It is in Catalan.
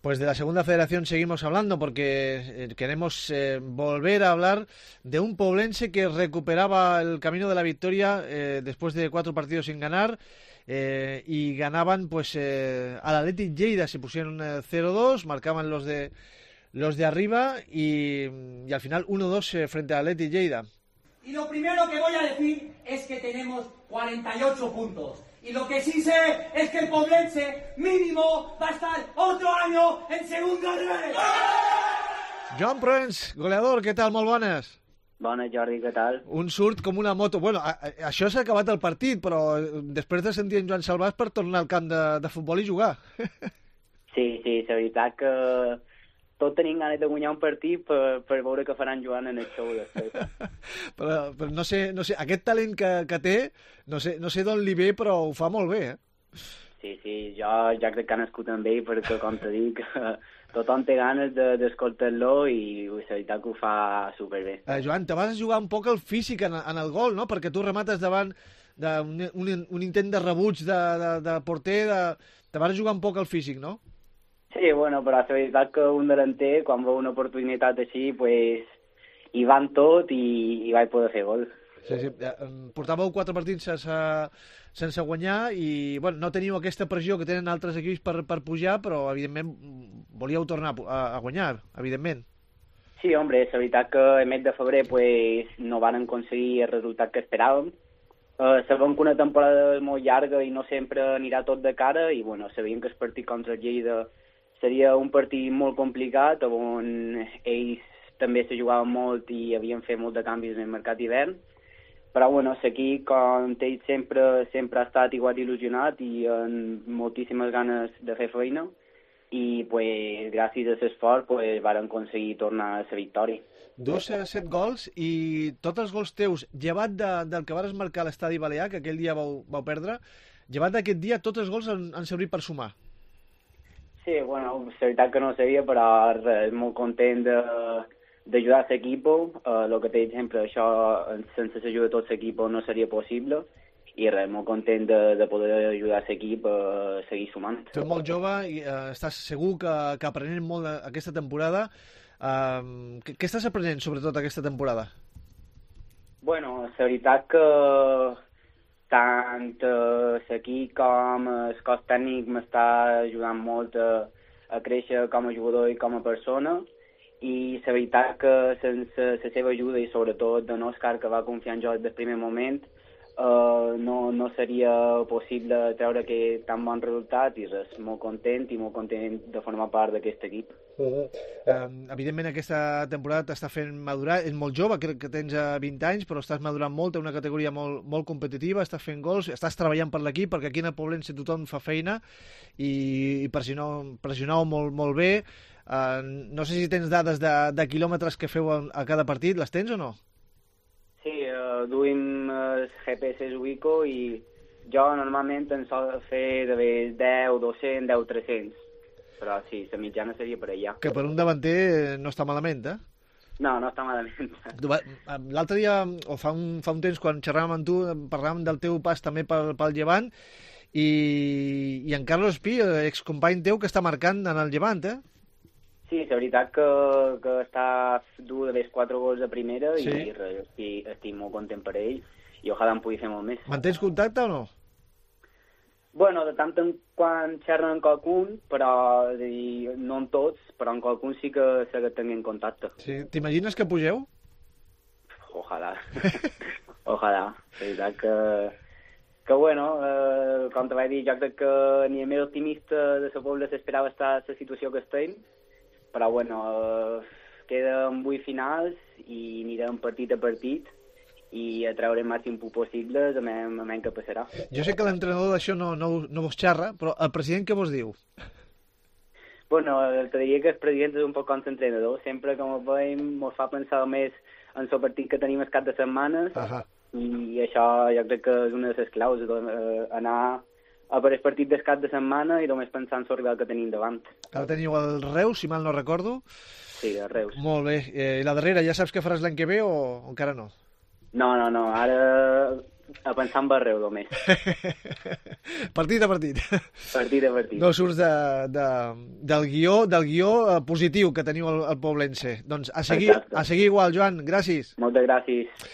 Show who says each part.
Speaker 1: Pues de la segunda federación seguimos hablando porque queremos volver a hablar de un poblense que recuperaba el camino de la victoria después de 4 partidos sin ganar y ganaban pues al Athletic Lleida, se pusieron 0-2, marcaban los de arriba y al final 1-2 frente al Athletic Lleida.
Speaker 2: Y lo primero que voy a decir es que tenemos 48 puntos. Y lo que sí sé es que el poblense mínimo va a estar otro año en segunda red.
Speaker 1: Joan Proens, goleador, què tal? Molt bones.
Speaker 3: Bona, Jordi, què tal?
Speaker 1: Un surt com una moto. Bueno, això s'ha acabat el partit, però després de sentir en Joan Salvàs per tornar al camp de futbol i jugar.
Speaker 3: Sí, la veritat que tot tenim ganes de guanyar un partit per veure què faran Joan en el show després.
Speaker 1: però no sé, aquest talent que té, no sé d'on li ve, però ho fa molt bé, eh?
Speaker 3: Sí, jo crec que ha nascut amb ell, perquè, com te dic, tothom té ganes d'escoltar-lo i la veritat que ho fa superbé.
Speaker 1: Joan, te vas jugar un poc el físic en el gol, no? Perquè tu remates davant d'un intent de rebuig de porter, te vas jugar un poc el físic, no?
Speaker 3: Sí, bueno, però la veritat que un delanter, quan veu una oportunitat així, pues, hi van tot i vaig poder fer gol.
Speaker 1: Sí. Portàveu 4 partits sense guanyar i bueno, no teníeu aquesta pressió que tenen altres equips per pujar, però evidentment volíeu tornar a guanyar, evidentment.
Speaker 3: Sí, hombre, la veritat que el mes de febrer pues, no van aconseguir el resultat que esperàvem. Sabem que una temporada és molt llarga i no sempre anirà tot de cara i bueno, sabíem que el partit contra el Lleida seria un partit molt complicat, on ells també se jugaven molt i havien fet molt de canvis en el mercat d'hivern. Però bueno, l'equip, com ell sempre ha estat igual il·lusionat i amb moltíssimes ganes de fer feina i pues, gràcies a l'esforç pues, van aconseguir tornar a la victòria.
Speaker 1: 7 gols i tots els gols teus, llevat del que vas marcar a l'Estadi Balear, que aquell dia vau perdre, llevat d'aquest dia tots els gols han servit per sumar.
Speaker 3: Sí, bueno, la veritat que no ho sabia, però res, molt content d'ajudar l'equip. El que t'he dit sempre, això sense l'ajuda de tot l'equip no seria possible i res, molt content de poder ajudar l'equip a seguir sumant.
Speaker 1: Tu ets molt jove i estàs segur que aprenent molt aquesta temporada. Què estàs aprenent sobretot aquesta temporada?
Speaker 3: Bueno, la veritat que tant l'equip com el cos tècnic m'està ajudant molt a créixer com a jugador i com a persona i la veritat que sense la seva ajuda i sobretot d'en Òscar, que va confiar en jo des del primer moment, no seria possible treure aquest tan bon resultat i res, molt content de formar part d'aquest equip.
Speaker 1: Evidentment aquesta temporada t'està fent madurar, ets molt jove, crec que tens 20 anys, però estàs madurant molt, té una categoria molt competitiva, estàs fent gols, estàs treballant per l'equip, perquè aquí en el Poblense tothom fa feina i pressioneu molt bé. No sé si tens dades de quilòmetres que feu a cada partit, les tens o no?
Speaker 3: Sí, duim el GPS Ubico i jo normalment en sol fer de 10, 200, 10, 300. Però sí, la mitjana seria per allà.
Speaker 1: Que per un davanter no està malament, eh?
Speaker 3: No està malament.
Speaker 1: L'altre dia, o fa un temps, quan xerràvem amb tu, parlàvem del teu pas també pel Llevant i en Carlos Pi, excompany teu, que està marcant en el Llevant, eh?
Speaker 3: Sí, la veritat que està dur de 4 gols a primera sí. I estic molt content per ell i ojalà en pugui fer molt més.
Speaker 1: Mantens contacte o no?
Speaker 3: Bueno, de tant en quan xerren amb qualcun, però no en tots, però amb qualcun sí que tinguin contacte.
Speaker 1: Sí. T'imagines que pugeu?
Speaker 3: Ojalà. Ojalà. La veritat que bueno, com te vaig dir, jo crec que ni el més optimista de la Pobla s'esperava estar en la situació que estem, però bueno, queden 8 finals i anirem partit a partit i a treure el màxim possible a menys que passarà.
Speaker 1: Jo sé que l'entrenador d'això no vos xerra, però el president què vos diu?
Speaker 3: Bueno, te diria que el president és un poc com l'entrenador. Sempre que ens veiem ens fa pensar més en el partit que tenim el cap de setmanes i això jo crec que és una de les claus, anar a per el partit del cap de setmana i només pensar en el rival que tenim davant.
Speaker 1: Ara teniu el Reus, si mal no recordo.
Speaker 3: Sí, el Reus.
Speaker 1: Molt bé. I la darrera, ja saps què faràs l'any que ve o encara no?
Speaker 3: No. Ara a pensar en Barreu només.
Speaker 1: Partit a partit.
Speaker 3: Partit a partit.
Speaker 1: No surts del guió positiu que teniu al Poblense. Doncs a seguir igual, Joan. Gràcies.
Speaker 3: Moltes gràcies.